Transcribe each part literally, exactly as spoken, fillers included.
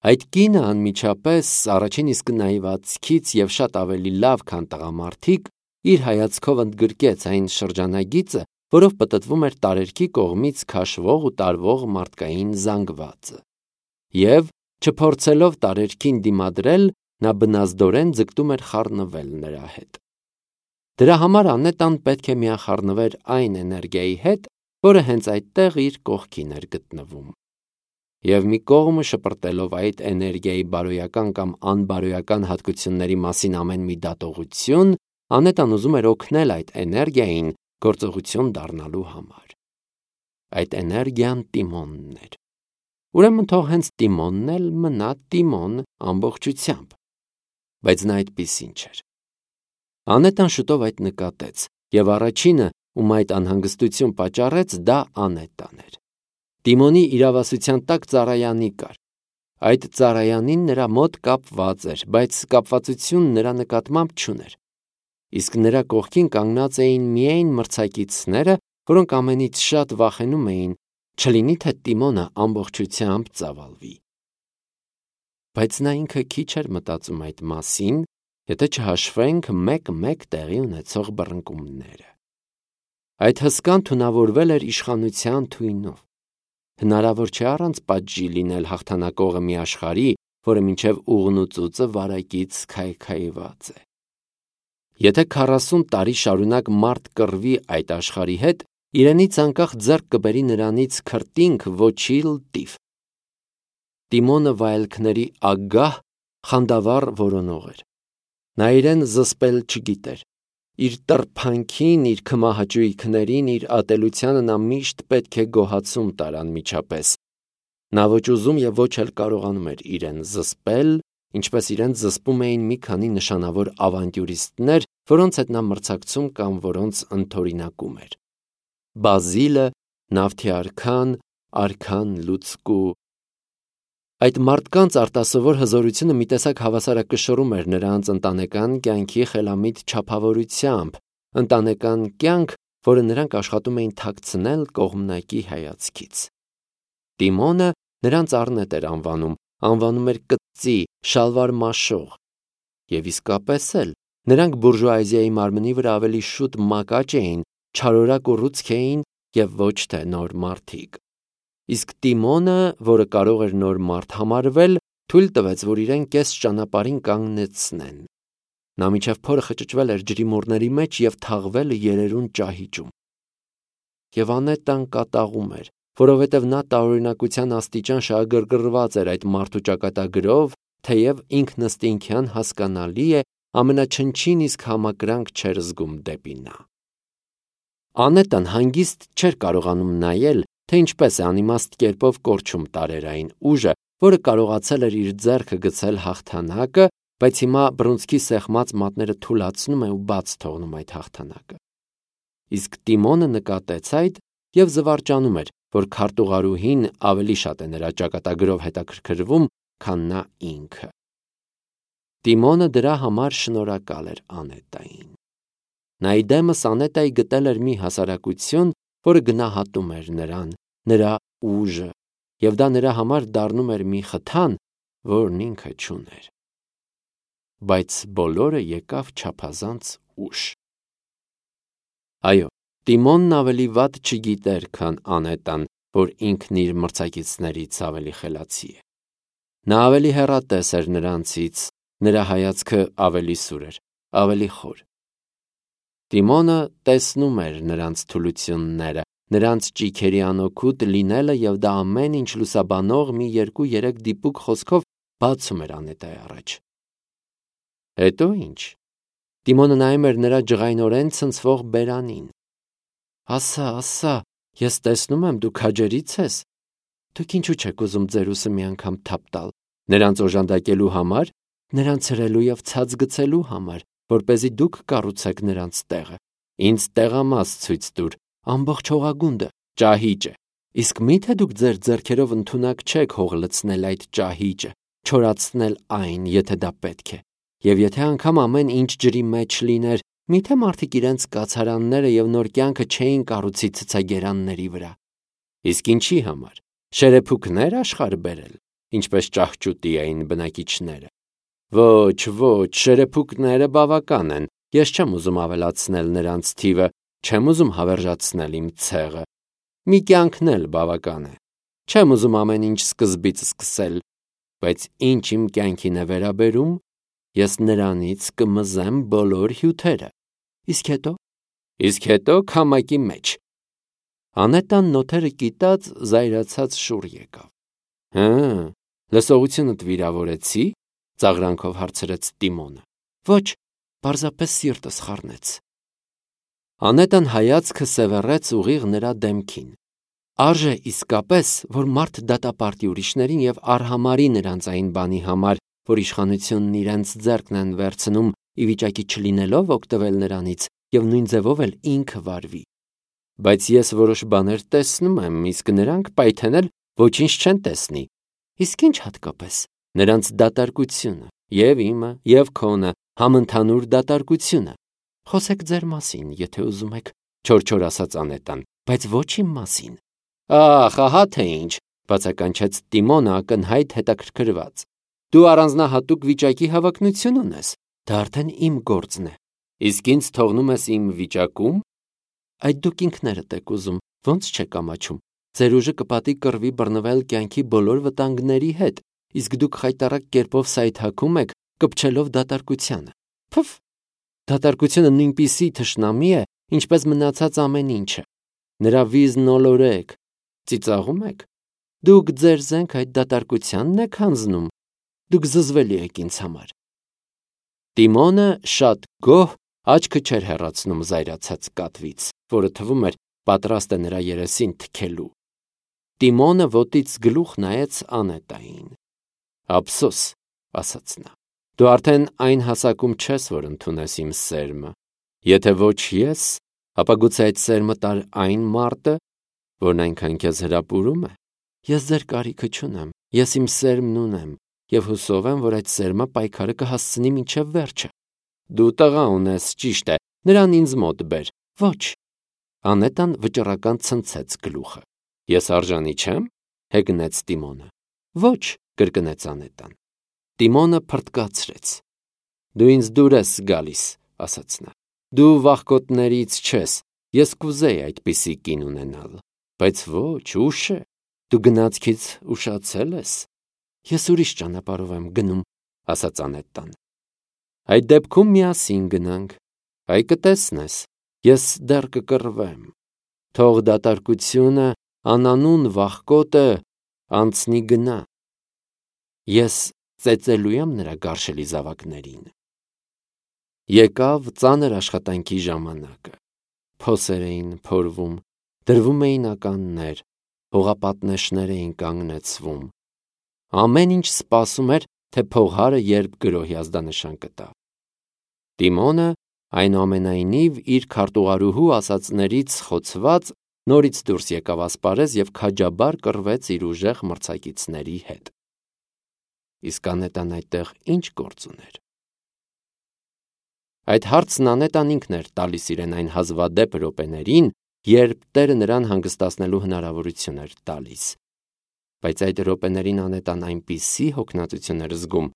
Այդ կինը անմիջապես առաջին իսկ նայվածքից և շատ ավելի լավ, քան տղամարդիկ, իր հայացքով ընդգրկեց այն շրջանագիծը, որով պտտվում էր տարերքի կողմից քաշվող ու տարվող մարդկային զանգվածը, և, չփորձելով տարերքին դիմադրել, նա բնազդորեն ձգտում էր խառնվել նրա հետ։ Դրա համար Անետան պետք է միախառնվեր այն էներգիայի հետ, որը հենց այդտեղ իր կողքին էր գտնվում։ Եվ մի կողմը շպրտելով այդ էներգիայի բարոյական կամ անբարոյական հատկությունների մասին ամեն մի դատողություն, Անետան ուզում էր օգնել այդ էներգիային գործողություն դառնալու համար։ Այդ էներգիան Տիմոնն էր։ Ուրեմն թող հենց Տիմոնն էլ մնա Տիմոն ամբողջությամբ։ Բայց նա այդպիսին չէր։ Անետան շուտով այդ նկատեց, և առաջինը, ում այդ անհանգստություն պատճառեց, դա Անետան էր։ Տիմոնի իրավասության տակ ծառայանի կար։ Այդ ծառայանին նրա մոտ կապված էր, բայց կապվածություն նրա նկատմամբ չուներ։ Իսկ նրա կողքին կանգնած էին միայն մրցակիցները, որոնք ամենից շատ վախենում էին, չլինի թե Տիմոնը ամբողջությամբ ծավալվի։ Բայց նա ինքը քիչ էր մտածում այդ մասին, եթե չհաշվենք մեկ-մեկ տեղի ունեցող բռնկումները։ Այդ հսկան թունավորվել էր իշխանության թույնով։ Հնարավոր չէ առանց պատժի լինել հաղթանակողը մի աշխարհի, որը մինչև ուղն ու ծուծը վարակից քայքայված է։ Եթե քառասուն տարի շարունակ մարդ կռվի այդ աշխարհի հետ, իրենից անկախ ձեռք կբերի նրանից քրտինք ոչի լտիվ։ Տիմոնը վայելքների ագահ, խանդավառ որոնող էր։ Նա իրեն զսպել չգիտեր։ Իր տրփանքին, իր քմահաճույքներին, իր ատելությանը նա միշտ պետք է գոհացում տար անմիջապես։ Նա ոչ ուզում և ոչ էլ կարողանում էր իրեն զսպել, ինչպես իրեն զսպում էին մի քանի նշանավոր ավանտյուրիստներ, որոնց հետ նա մրցակցում կամ որոնց ընդօրինակում էր։ Բազիլը, Նավթի արքան, Արքան լուցկու։ Այդ մարդկանց արտասովոր հզորությունը մի տեսակ հավասարակշռում էր նրանց ընտանեկան կյանքի խելամիտ չափավորությամբ, ընտանեկան կյանք, որը նրանք աշխատում էին թաքցնել կողմնակի հայացքից։ Տիմոնը նրանց առնետ էր անվանում, անվանում էր կծծի, շալվար մաշող։ Եվ իսկապես էլ, նրանք բուրժուազիայի մարմնի վրա ավելի շուտ մակաճ էին, չարորակ ու ռուցք էին և ոչ թե նոր մարդիկ։ Իսկ Տիմոնը, որը կարող էր նոր մարդ համարվել, թույլ տվեց, որ իրեն կես ճանապարհին կանգնեցնեն։ Նա մինչև փորը խճճվել էր ջրիմուռների մեջ և թաղվել երերուն ճահիճում։ Եվ Անետան կատաղում էր, որովհետև նա տարօրինակության աստիճան շահագրգռված էր այդ մարդու ճակատագրով, թեև ինքնըստինքյան հասկանալի է, ամենաչնչին իսկ համակրանք չէր զգում դեպի նա։ Անետան հանգիստ չէր կարողանում նայել, թե ինչպես է անիմաստ կերպով կորչում տարեր այն ուժը, որը կարողացել էր իր ձեռքը գցել հաղթանակը, բայց հիմա բռունցքի սեղմած մատները թուլացնում է ու բաց թողնում այդ հաղթանակը։ Իսկ Տիմոնը նկատեց այդ և զվարճանում էր, որ քարտուղարուհին ավելի շատ է նրա ճակատագրով հետաքրքրվում, քան նա ինքը։ Տիմոնը դրա համար շնորհակալ էր Անետային։ Նա իդեմս Անետայի գտել էր մի հասարակություն, որը գնահատում էր նրան, նրա ուժը, և դա նրա համար դառնում էր մի խթան, որն ինքը չուներ։ Բայց բոլորը եկավ չափազանց ուշ։ Այո, Տիմոնն ավելի վատ չգիտեր, քան Անետան, որ ինքն իր մրցակիցներից ավելի խելացի է։ Նա ավելի հեռատես էր նրանցից, նրա հայացքը ավելի սուր էր, ավելի խոր։ Տիմոնը տեսնում էր նրանց թուլությունները, նրանց ճիգերի անօգուտ լինելը և դա ամեն ինչ լուսաբանող մի երկու-երեք դիպուկ խոսքով բացում էր Անետայի առաջ։ Հետո ի՞նչ։ Տիմոնը նայում էր նրա ջղայնորեն ցնցվող բերանին։ Ասա, ասա, ես տեսնում եմ, դու քաջերից ես։ Դուք ինչու չեք ուզում ձեր ուսը մի անգամ թափ տալ, նրանց օժանդակելու համար, նրանց հրելու և ցած գցելու համար, որպեսզի դուք կառուցեք նրանց տեղը։ Ինձ տեղամաս ցույց տուր, ամբողջ հողագունդը, ճահիճը։ Իսկ մի՞թե դուք ձեր ձեռքերով ընդունակ չեք հող լցնել այդ ճահիճը, չորացնել այն, եթե դա պետք է։ Եվ եթե անգամ ամեն ինչ ջրի մեջ լիներ, մի՞թե մարդիկ իրենց կացարանները և նոր կյանքը չէին կառուցի ցցագերանների վրա։ Իսկ ինչի համար։ Շերեփուկնե՞ր աշխարհ բերել։ ինչպես ճահճուտի էին բնակիչները։ Ոչ, ոչ, շերեփուկները բավական են, ես չեմ ուզում ավելացնել նրանց թիվը, չեմ ուզում հավերժացնել իմ ցեղը։ Մի կյանքն էլ բավական է։ Չեմ ուզում ամեն ինչ սկզբից սկսել, բայց ինչ իմ կյանքին է վերաբերում, ես նրանից կմզեմ բոլոր հյութերը։ Իսկ հետո։ Իսկ հետո քամակի մեջ։ Անետան նոթերը կիտած զայրացած շուռ եկավ։ Հը, լսողությունդ վիրավորեցի, ծաղրանքով հարցրեց Տիմոնը։ Ոչ, պարզապես սիրտս խառնեց։ Անետան հայացքը սևեռեց ուղիղ նրա դեմքին։ Արժե իսկապես, որ մարդ դատապարտի ուրիշներին եւ արհամարի նրանց այն բանի համար, որ իշխանությունն իրենց ձեռքն են վերցնում, ի վիճակի չլինելով օգտվել նրանից եւ նույն ձևով էլ ինքը վարվի։ Բայց ես որոշ բաներ տեսնում եմ, իսկ նրանք պայթենել ոչինչ չեն տեսնի։ Իսկ ինչ հատկապես։ Նրանց դատարկությունը, եւ իմը, եւ քոնը, համընդհանուր դատարկությունը։ Խոսեք ձեր մասին, եթե ուզում եք, չոր-չոր ասաց Անետան, բայց ոչ իմ մասին։ Ախ, ահա թե ինչ, բացականչեց Տիմոնը ակնհայտ հետաքրքրված։ Դու առանձնահատուկ վիճակի հավակնություն ունես, դա արդեն իմ գործն է։ Իսկ ինձ թողնում ես իմ վիճակում։ Այդ դուք ինքներդ եք ուզում, ոնց չեք ամաչում։ Ձեր ուժը կպատի կռվի բռնվել կյանքի բոլոր վտանգների հետ, իսկ դուք խայտառակ կերպով սայթաքում եք, կպչելով դատարկությանը։ Փֆ, դատարկությունը նույնպիսի թշնամի է, ինչպես մնացած ամեն ինչը։ Նրա վիզն ոլորեք, ծիծաղում եք։ Դուք ձեր զենք այդ դատարկությանն եք հանձնում։ Դուք զզվելի եք ինձ համար։ Տիմոնը շատ գոհ աչքը չէր հեռացնում զայրացած կատվից, որը թվում էր պատրաստ է նրա երեսին թքելու։ Տիմոնը ոտից գլուխ նայեց Անետային։ Ափսոս, ասաց նա։ Դու արդեն այն հասակում չես, որ ընդունես իմ սերմը։ Եթե ոչ ես, ապա գուցե այդ սերմը տար այն մարդը, որն այնքան քեզ հրապուրում է։ Ես ձեր կարիքը չունեմ, ես իմ սերմն ունեմ, եւ հուսով եմ, որ այդ սերմը պայքարը կհասցնի մինչև վերջը։ Դու տղա ունես, ճիշտ է, նրան ինձ մոտ բեր։ Ոչ։ Անետան վճռական ցնցեց գլուխը։ Ես արժանի չեմ, հեգնեց Տիմոնը։ Ոչ, կրկնեց Անետան։ Տիմոնը փրտկացրեց։ Դու ինձ դուր ես գալիս, ասաց նա։ Դու վախկոտներից չես, ես կուզեի այդպիսի կին ունենալ, բայց ոչ, ուշ է, դու գնացքից ուշացել ես։ Ես ուրիշ ճանապարհով եմ գնում, ասաց Անետան։ Այդ դեպքում միասին գնանք, այ կտեսնես, ես դեռ կկռվեմ։ Թող դատարկությունը, անանուն վախկոտը անցնի գնա։ Ես ծեծելու եմ նրա գարշելի զավակներին։ Եկավ ծանր աշխատանքի ժամանակը։ Փոսեր էին փորվում, դրվում էին ականներ, հողապատնեշներ էին կանգնեցվում։ Ամեն ինչ սպասում էր, թե փողհարը երբ գրոհի ազդանշան կտա։ Տիմոնը այնուամենայնիվ իր քարտուղարուհու ասածներից խոցված նորից դուրս եկավ ասպարեզ եւ քաջաբար կռվեց իր ուժեղ մրցակիցների հետ։ Իսկ Անետան այդտեղ ինչ գործ ուներ։ Այդ հարցն Անետան ինքն էր տալիս իրեն այն հազվադեպ րոպեներին, երբ Տերը նրան հանգստացնելու հնարավորություն էր տալիս։ Բայց այդ րոպեներին Անետան այնպիսի հոգնածություն էր զգում,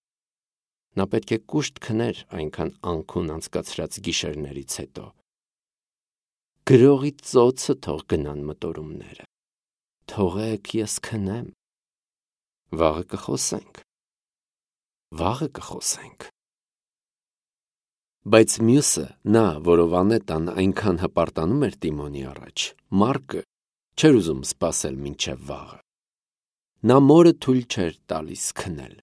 նա պետք է կուշտ քներ այնքան անքուն անցկացրած գիշերներից հետո։ Գրողի ծոցը թող գնան մտորումները։ Թողեք ես քնեմ։ Վաղը կխոսենք։ Վաղը կխոսենք։ Բայց մյուսը, նա, որով Անետան այնքան հպարտանում էր Տիմոնի առաջ, Մարկը, չէր ուզում սպասել մինչև վաղը։ Նա մորը թույլ չէր տալիս քնել։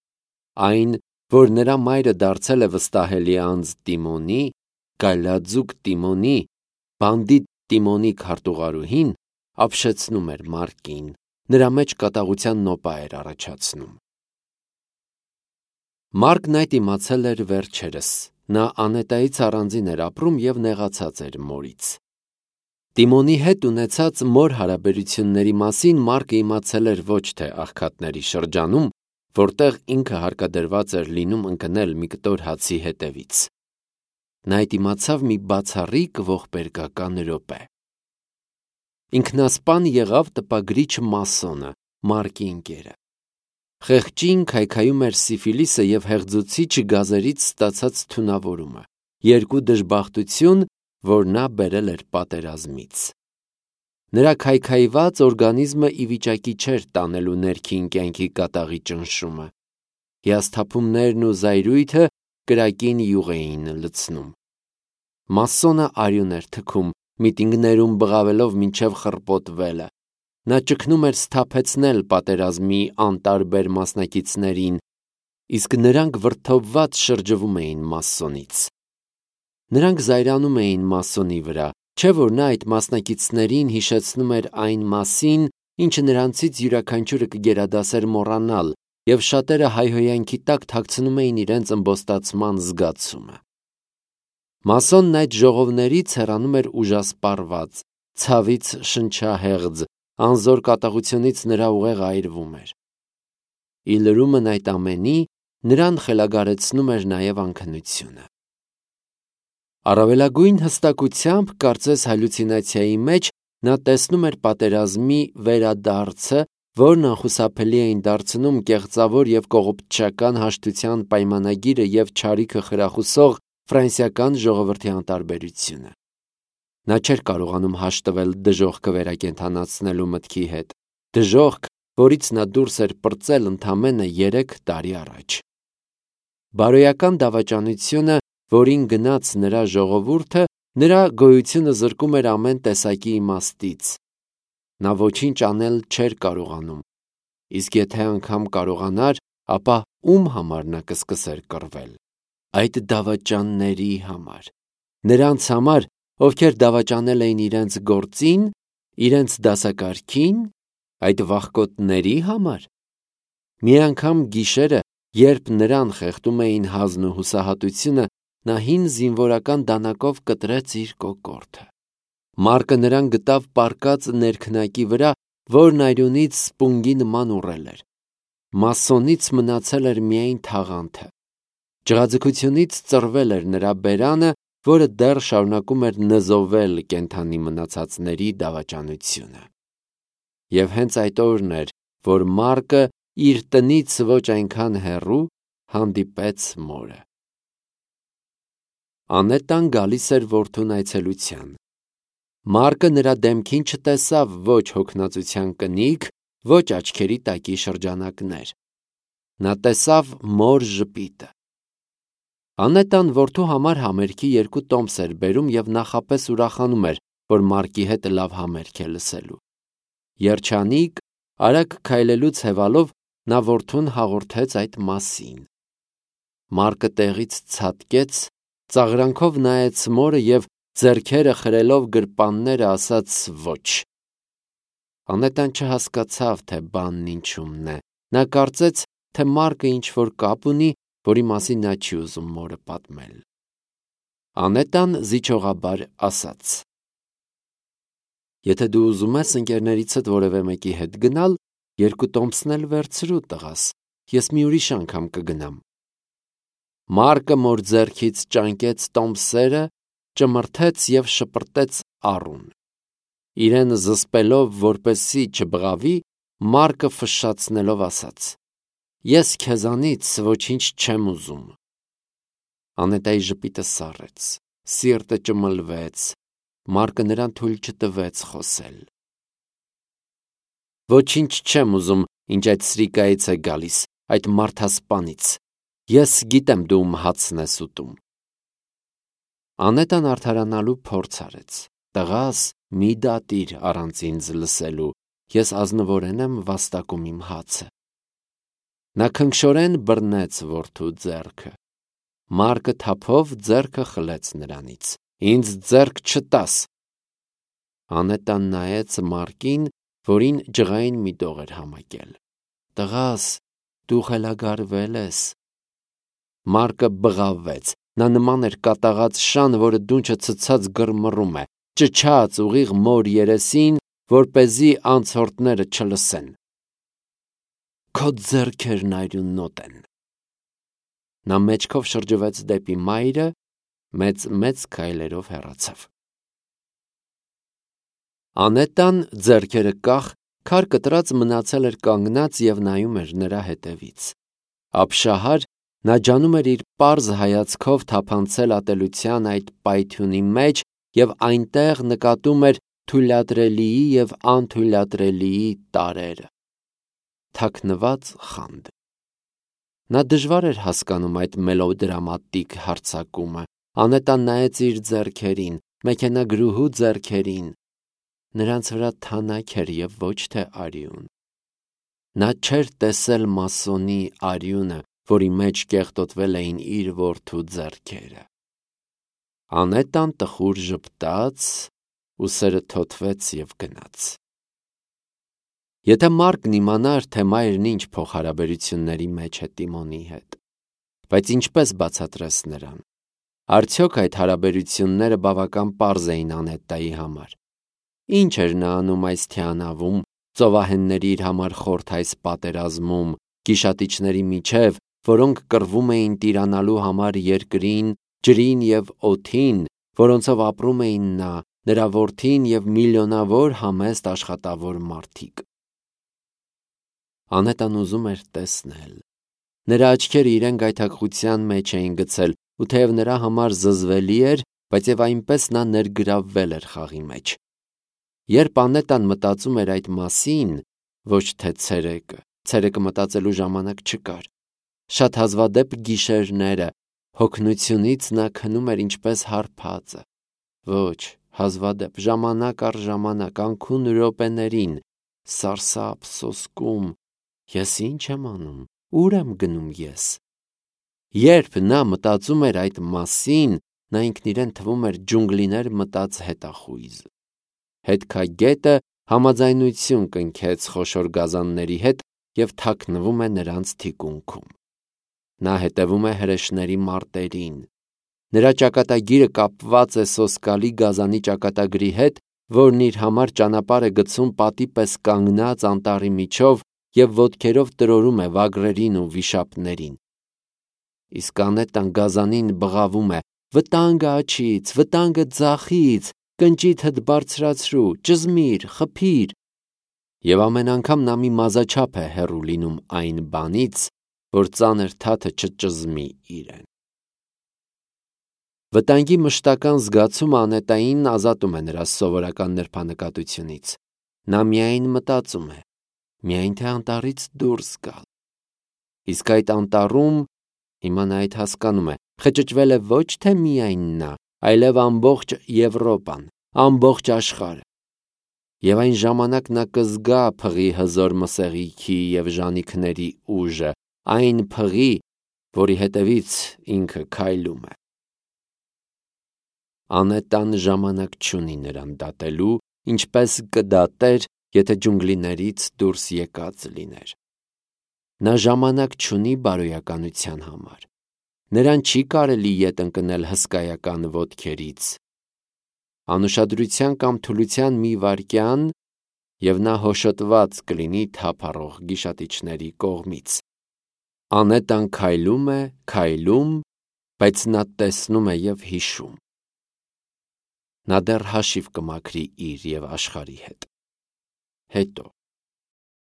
Այն, որ նրա մայրը դարձել է վստահելի անձ Տիմոնի, գայլաձուկ Տիմոնի, բանդիտ Տիմոնի քարտուղարուհին, ապշեցնում էր Մարկին, նրա մեջ կատաղության նոպա էր առաջացնում։ Մարկն այդ իմացել էր վերջերս, նա Անետայից առանձին էր ապրում եւ նեղացած էր մորից։ Տիմոնի հետ ունեցած մոր հարաբերությունների մասին Մարկը իմացել էր ոչ թե աղքատների շրջանում, որտեղ ինքը հարկադրված էր լինում ընկնել մի կտոր հացի հետևից։ Նա այդ իմացավ մի բացառիկ ողբերգական րոպե։ Ինքնասպան եղավ տպագրիչ Մասոնը, Մարկի ընկերը։ Խեղճին քայքայում էր սիֆիլիսը և հեղձուցիչ գազերից ստացած թունավորումը, երկու դժբախտություն, որ նա բերել էր պատերազմից։ Նրա քայքայված օրգանիզմը ի վիճակի չէր տանելու ներքին կյանքի կատաղի ճնշումը։ Հիասթափումներն ու զայրույթը կրակին յուղ էին լցնում։ Մասոնը արյուն էր թքում, միտինգներում բղավելով մինչև խռպոտվելը։ Նա ճգնում էր սթափեցնել պատերազմի անտարբեր մասնակիցներին, իսկ նրանք վրդովված շրջվում էին մասոնից։ Նրանք զայրանում էին մասոնի վրա, չէ՞ որ նա այդ մասնակիցներին հիշեցնում էր այն մասին, ինչը նրանցից յուրաքանչյուրը կգերադասեր մոռանալ, և շատերը հայհոյանքի տակ թաքցնում էին իրենց ըմբոստացման զգացումը։ Մասոնն այդ ժողովներից հեռանում էր ուժասպառված, ցավից շնչահեղձ, անզոր կատաղությունից նրա ուղեղը այրվում էր։ Ի լրումն այդ ամենի, նրան խելագարեցնում էր նաև անքնությունը։ Առավելագույն հստակությամբ, կարծես հալյուցինացիայի մեջ, նա տեսնում էր պատերազմի վերադարձը, որն անխուսափելի էին դարձնում կեղծավոր և կողոպտչական հաշտության պայմանագիրը և չարիքը խրախուսող ֆրանսիական ժողովրդի անտարբերությունը։ Նա չէր կարողանում հաշտվել դժոխքը վերակենդանացնելու մտքի հետ, դժոխք, որից նա դուրս էր պրծել ընդամենը երեք տարի առաջ։ Բարոյական դավաճանությունը, որին գնաց նրա ժողովուրդը, նրա գոյությունը զրկում էր ամեն տեսակի իմաստից։ Նա ոչինչ անել չէր կարողանում, իսկ եթե անգամ կարողանար, ապա ում համար նա կսկսեր կռվել։ Այդ դավաճանների համար։ Նրանց համար, ովքեր դավաճանել էին իրենց գործին, իրենց դասակարգին, այդ վախկոտների համար։ Մի անգամ գիշերը, երբ նրան խեղդում էին հազն ու հուսահատությունը, նա հին զինվորական դանակով կտրեց իր կոկորդը։ Մարկը նրան գտավ պառկած ներքնակի վրա, որն այրունից սպունգի նման ուռել էր։ Մասոնից մնացել էր միայն թաղանթը։ Ջղաձգությունից ծռվել էր նրա բերանը, որը դեռ շարունակում էր նզովել կենդանի մնացածների դավաճանությունը։ Եվ հենց այդ օրն էր, որ Մարկը իր տնից ոչ այնքան հեռու հանդիպեց մորը։ Անետան գալիս էր որդուն այցելության։ Մարկը նրա դեմքին չտեսավ ոչ հոգնածության կնիկ, ոչ աչքերի տակի շրջանակներ։ Նա տեսավ մոր ժպիտը։ Անետան որդու համար համերգի երկու տոմս էր բերում և նախապես ուրախանում էր, որ Մարկի հետ լավ համերգ է լսելու։ Երջանիկ, արագ քայլելուց հետո նա որդուն հաղորդեց այդ մասին։ Մարկը տեղից ցատկեց, ծաղրանքով նայեց մորը և ձեռքերը խրելով գրպանները ասաց ոչ։ Անետան չհասկացավ, թե բանն ինչումն է։ Նա կարծեց, թե Մարկը ինչ-որ կապ ունի, որի մասին նա չի ուզում մորը պատմել։ Անետան զիջողաբար ասաց. Եթե դու ուզում ես ընկերներիցդ որևէ մեկի հետ գնալ, երկու տոմսն էլ վերցրու, տղաս, ես մի ուրիշ անգամ կգնամ։ Մարկը մոր ձեռքից ճանկեց տոմսերը, ճմրթեց և շպրտեց առուն։ Իրեն զսպելով, որպեսզի չբղավի, Մարկը ֆշշացնելով ասաց. Ես քեզանից ոչինչ չեմ ուզում։ Անետայի ժպիտը սառեց, սիրտը ճմլվեց, Մարկը նրան թույլ չտվեց խոսել։ Ոչինչ չեմ ուզում, ինչ այդ սրիկայից է գալիս, այդ մարդասպանից։ Ես գիտեմ դու ում հացն ես ուտում։ Անետան արդարանալու փորձ արեց։ Տղաս, մի դատիր առանց ինձ լսելու, ես ազնվորեն եմ վաստակում իմ հացը։ Նա քնքշորեն բռնեց որդու ձեռքը։ Մարկը թափով ձեռքը խլեց նրանից։ Ինձ ձեռք չտաս։ Անետան նայեց Մարկին, որին ջղային մի դող էր համակել։ Տղաս, դու խելագարվել ես։ Մարկը բղավեց։ Նա նման էր կատաղած շան, որը դունչը ցցած գրմռում է, ճչաց ուղիղ մոր երեսին, որպեսզի անցորդները չլսեն։ Քո ձեռքերն արյունոտ են։ Նա մեջքով շրջվեց դեպի մայրը, մեծ-մեծ քայլերով հեռացավ։ Անետան, ձեռքերը կախ, Քար կտրած մնացել էր կանգնած և նայում էր նրա հետևից։ Ապշահար նա ջանում էր իր պարզ հայացքով թափանցել ատելության այդ պայթյունի մեջ և այնտեղ նկատում էր թույլատրելիի և անթույլատրելիի տարրերը։ Թաքնված խանդ։ Նա դժվար էր հասկանում այդ մելոդրամատիկ հարձակումը։ Անետան նայեց իր ձեռքերին, մեքենագրուհու ձեռքերին։ Նրանց վրա թանաք էր և ոչ թե արյուն։ Նա չէր տեսել մասոնի արյունը, որի մեջ կեղտոտվել էին իր որդու ձեռքերը։ Անետան տխուր ժպտաց, ուսերը թոթվեց և գնաց։ Եթե Մարկն իմանար, թե մայրն ինչ փոխհարաբերությունների մեջ է Տիմոնի հետ, բայց ինչպես բացատրես նրան։ Արդյոք այդ հարաբերությունները բավական պարզ էին Անետայի համար։ Ինչ էր նա անում այս թիանավում, ծովահենների իր համար խորթ այս պատերազմում, գիշատիչների միջև, որոնք կռվում էին տիրանալու համար երկրին, ջրին և օդին, որոնցով ապրում էին նա, նրա որդին և միլիոնավոր համեստ աշխատավոր մարդիկ։ Անետան ուզում էր տեսնել։ Նրա աչքերը իրեն գայթակղության մեջ էին գցել, ու թեև նրա համար զզվելի էր, բայց և այնպես նա ներգրավվել էր խաղի մեջ։ Երբ Անետան մտածում էր այդ մասին, ոչ թե ցերեկը, ցերեկը մտածելու ժամանակ չկար։ Շատ հազվադեպ գիշերները, հոգնությունից նա քնում էր ինչպես հարբածը։ Ոչ, հազվադեպ, ժամանակ առ ժամանակ, անքուն րոպեներին, սարսափ, սոսկում, ես ի՞նչ եմ անում, ուր եմ գնում ես։ Երբ նա մտածում էր այդ մասին, նա ինքն իրեն թվում էր ջունգլիներ մտած հետախույզ։ Հետքագետը համաձայնություն կնքեց խոշոր գազանների հետ և թաքնվում է նրանց թիկունքում։ Նա հետևում է հրեշների մարտերին։ Նրա ճակատագիրը կապված է սոսկալի գազանի ճակատագրի հետ, որն իր համար ճանապարհ է գցում պատի պես կանգնած անտառի միջով և ոտքերով տրորում է վագրերին ու վիշապներին։ Իսկ Անետան գազանին բղավում է. «Վտանգը աջից, վտանգը ձախից, կնճիթդ բարձրացրու, ճզմիր, խփիր»։ Եվ ամեն անգամ նա մի մազաչափ է հեռու լինում այն բանից, որ ծանր թաթը չճզմի իրեն։ Վտանգի մշտական զգացումը Անետային ազատում է նրա սովորական նրբանկատությունից։ Նա միայն մտածում է, միայն թե անտառից դուրս գալ։ Իսկ այդ անտառում, հիմա նա այդ հասկանում է, խճճվել է ոչ թե միայն նա, այլև ամբողջ Եվրոպան, ամբողջ աշխարհը։ Եվ այն ժամանակ նա կզգա փղի հզոր մսեղիքի և ժանիքների ուժը, այն փղի, որի հետևից ինքը քայլում է։ Անետան ժամանակ չունի նրան դատելու, ինչպես կդատեր, եթե ջունգլիներից դուրս եկած լիներ։ Նա ժամանակ չունի բարոյականության համար։ Նրան չի կարելի ետ ընկնել հսկայական ոտքերից։ Անուշադրության կամ թուլության մի վայրկյան, և նա հոշոտված կլինի թափառող գիշատիչների կողմից։ Անետան քայլում է, քայլում, բայց նա տեսնում է և հիշում։ Նա դեռ հաշիվ կմաքրի իր և աշխարհի հետ։ Հետո։